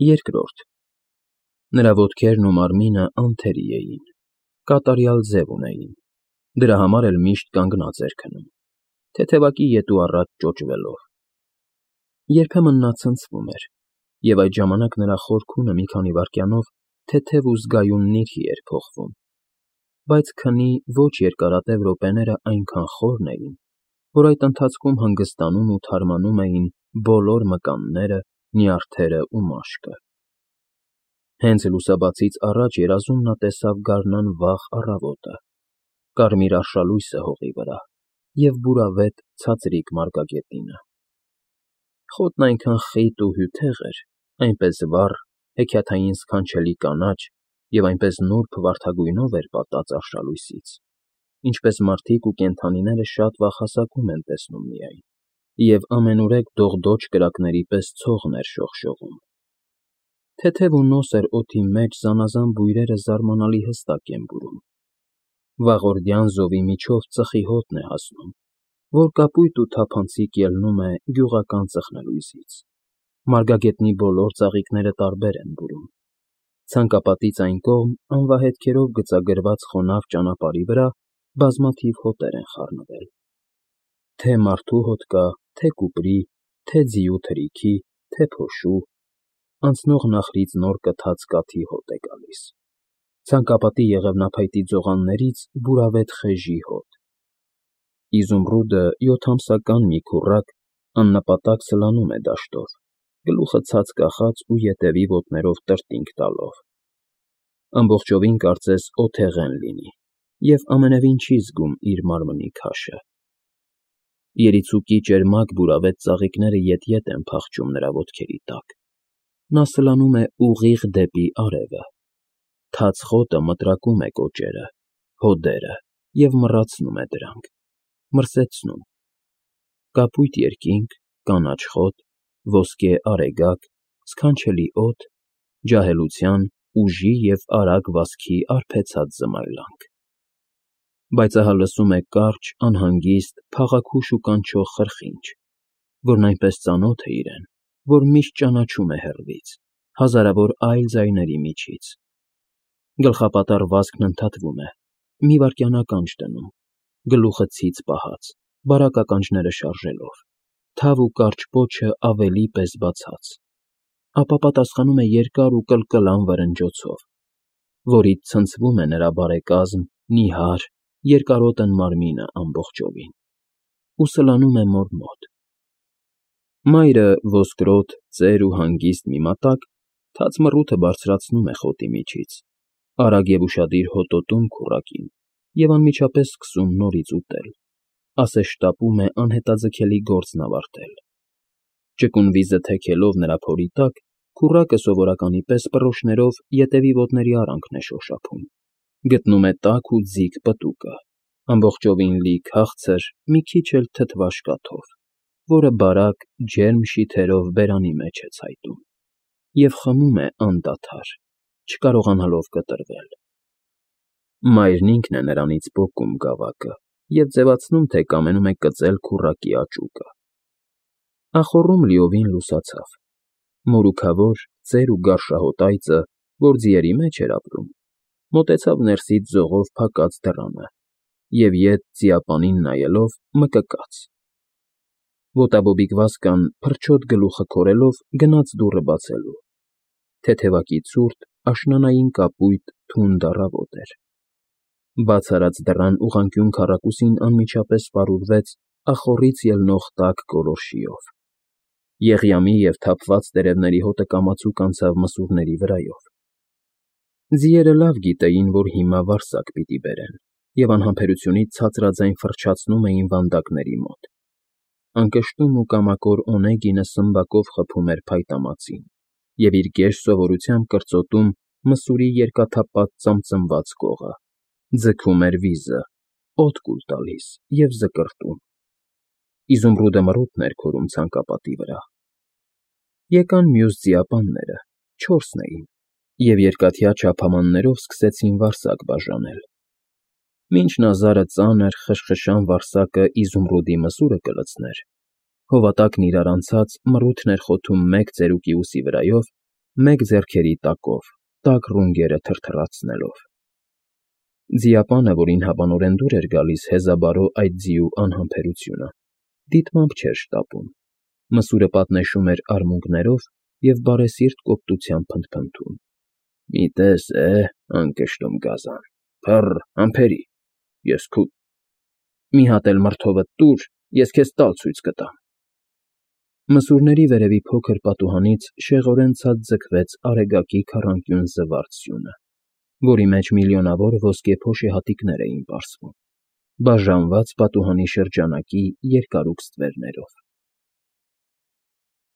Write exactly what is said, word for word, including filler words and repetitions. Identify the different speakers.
Speaker 1: Երկրորդ Նրա ոտքերն ու մարմինը անթերի էին, կատարյալ ձև ունեին, դրա համար էլ միշտ կանգնած էր քնում, թեթևակի ետ ու առաջ ճոճվելով։ Երբեմն նա ցնցվում էր, և այդ ժամանակ նրա խոր քունը մի քանի վայրկյանով թեթև ու զգայուն նիրհի էր փոխվում, բայց քնի ոչ երկարատև րոպեները այնքան խորն էին, որ այդ ընթացքում հանգստանում ու թարմանում էին բոլոր մկանները, նյարդերը ու մաշկը։ Հենց լուսաբացից առաջ երազում նա տեսավ գարնան վաղ առավոտը, կարմիր արշալույսը հողի վրա և բուրավետ ցածրիկ մարգագետինը։ Խոտն այնքան խիտ ու հյութեղ էր, այնպես վառ, հեքիաթային սքանչելի կանաչ և այնպես նուրբ վարդագույնով էր պատած արշալույսից, ինչպես մարդիկ ու կենդանիները շատ վաղ հասակում են տեսնում միայն, և ամենուրեք դողդոջ կրակների պես ցողն էր շողշողում։ Թեթև ու նոսր օդի մեջ զանազան բույրերը զարմանալի հստակ են բուրում։ Վաղորդյան զովի միջով ծխի հոտն է հասնում, որ կապույտ ու թափանցիկ ելնում է գյուղական ծխնելույզից։ Մարգագետնի բոլոր ծաղիկները տարբեր են բուրում։ Ցանկապատից այն կողմ անվահետքերով գծագրված խոնավ ճանապարհի վրա բազմաթիվ հոտեր են խառնվել. թե մարդու հոտ կա, թե կուպրի, թե ձիու թրիքի, թե փոշու, անցնող նախրից նոր կթած կաթի հոտ է գալիս, ցանկապատի եղևնափայտի ձողաններից բուրավետ խեժի հոտ։ Իզումռուդը յոթամսական մի քուռակ աննպատակ սլանում է դաշտով, գլուխը ցած կախած ու ետևի ոտներով տրտինգ տալով։ Ամբողջովին կարծես օթեղեն լինի և ամենևին չի զգում իր մարմնի քաշը։ Երիցուկի ճերմակ բուրավետ ծաղիկները ետ֊ետ են փախչում նրա ոտքերի տակ։ Նա սլանում է ուղիղ դեպի արևը։ Թաց խոտը մտրակում է կոճերը, հոդերը և մռացնում է դրանք, մրսեցնում։ Կապույտ երկինք, կանաչ խոտ, ոսկե արեգակ, սքանչելի օդ, ջահելության, ուժի և արագ վազքի արբեցած զմայլանք։ Բայց ահա լսում է կարճ, անհանգիստ, փաղաքուշ ու կանչող խրխինջ, որն այնպես ծանոթ է իրեն, որ միշտ ճանաչում է հեռվից, հազարավոր այլ ձայների միջից։ Գլխապատառ վազքն ընդհատվում է, մի վայրկյան ականջ դնում, գլուխը ցից պահած, բարակ ականջները շարժելով, թավ ու կարճ պոչը ավելի պես բացած, ապա պատասխանում է երկար ու կլկլան վրնջոցով, որից ցնցվում է նրա բարեկազմ, նիհար, երկարոտն մարմինը ամբողջովին, ու սլանում է մոր մոտ։ Մայրը ոսկրոտ, ծեր ու հանգիստ մի մատակ թաց մռութը բարձրացնում է խոտի միջից, արագ և ուշադիր հոտոտում քուռակին և անմիջապես սկսում նորից ուտել, ասես շտապում է անհետաձգելի գործն ավարտել։ Ճկուն վիզը թեքելով նրա փորի տակ, քուռակը սովորականի պես պռոշներով ետևի ոտների արանքն է շոշափում, գտնում է տաք ու ձիգ պտուկը, ամբողջովին լի քաղցր, մի քիչ էլ թթվաշ կաթով, որը բարակ, ջերմ շիթերով բերանի մեջ է ցայտում, և խմում է անդադար, չկարողանալով կտրվել։ Մայրն ինքն է նրանից պոկում գավակը և ձևացնում, թե կամենում է կծել քուռակի աճուկը։ Ախոռում լիովին լուսացավ։ Մորուքավոր, ծեր ու գարշահոտ այծը, որ ձիերի մեջ էր ապրում, մոտեցավ ներսից ձողով փակած դռանը և ետ ձիապանին նայելով մկկաց։ Ոտաբոբիկ Վազկան, փրչոտ գլուխը քորելով, գնաց դուռը բացելու։ Թեթևակի ցուրտ, աշնանային կապույտ, թունդ առավոտ էր։ Բաց արած դռան ուղղանկյուն քառակուսին անմիջապես պարուրվեց ախոռից ելնող տաք գոլորշիով։ Եղյամի և թափված տերևների հոտը կամացուկ անցավ մսուրների վրայով։ Ձիերը լավ գիտեին, որ հիմա վարսակ պիտի բերեն, և անհամբերությունից ցածրաձայն ֆռչացնում էին վանդակների մոտ։ Անկշտում ու կամակոր Օնեգինը սմբակով խփում էր փայտամածին և իր գեշ սովորությամբ կրծոտում մսուրի երկաթափած ծամծմված կողը, ձգում էր վիզը, օդ կուլ տալիս և զկրտում։ Իզումռուդը մռութն էր քորում ցանկապատի վրա։ Եկան մյուս ձիապանները, չորսն էին, և երկաթյա չափամաններով սկսեցին վարսակ բաժանել։ Մինչ Նազարը ծանր, խշխշան վարսակը Իզումռուդի մսուրը կլցներ, հովատակն իրար անցած մռութն էր խոթում մեկ ծերուկի ուսի վրայով մեկ ձեռքերի տակով, տաք ռունգերը թրթռացնելով։ Ձիապանը, որին հավանորեն դուր էր գալիս հեզաբարո այդ ձիու անհամբերությունը, դիտմամբ չէր շտապում, մսուրը պատնեշում էր արմունկներով և բարեսիրտ կոպտությամբ փնթփնթում. «Մի տես է, անկշտում գազան, փռ, համբերի, ես քո… Մի հատ էլ մրդովդ տուր, ես քեզ տալ ցույց կտամ»։ Մսուրների վերևի փոքր պատուհանից շեղորեն ցած ձգվեց Արեգակի քառանկյուն զվարթ սյունը, որի մեջ միլիոնավոր ոսկե փոշիհատիկներ էին պարսվում, բաժանված պատուհանի շրջանակի երկարուկ ստվերներով։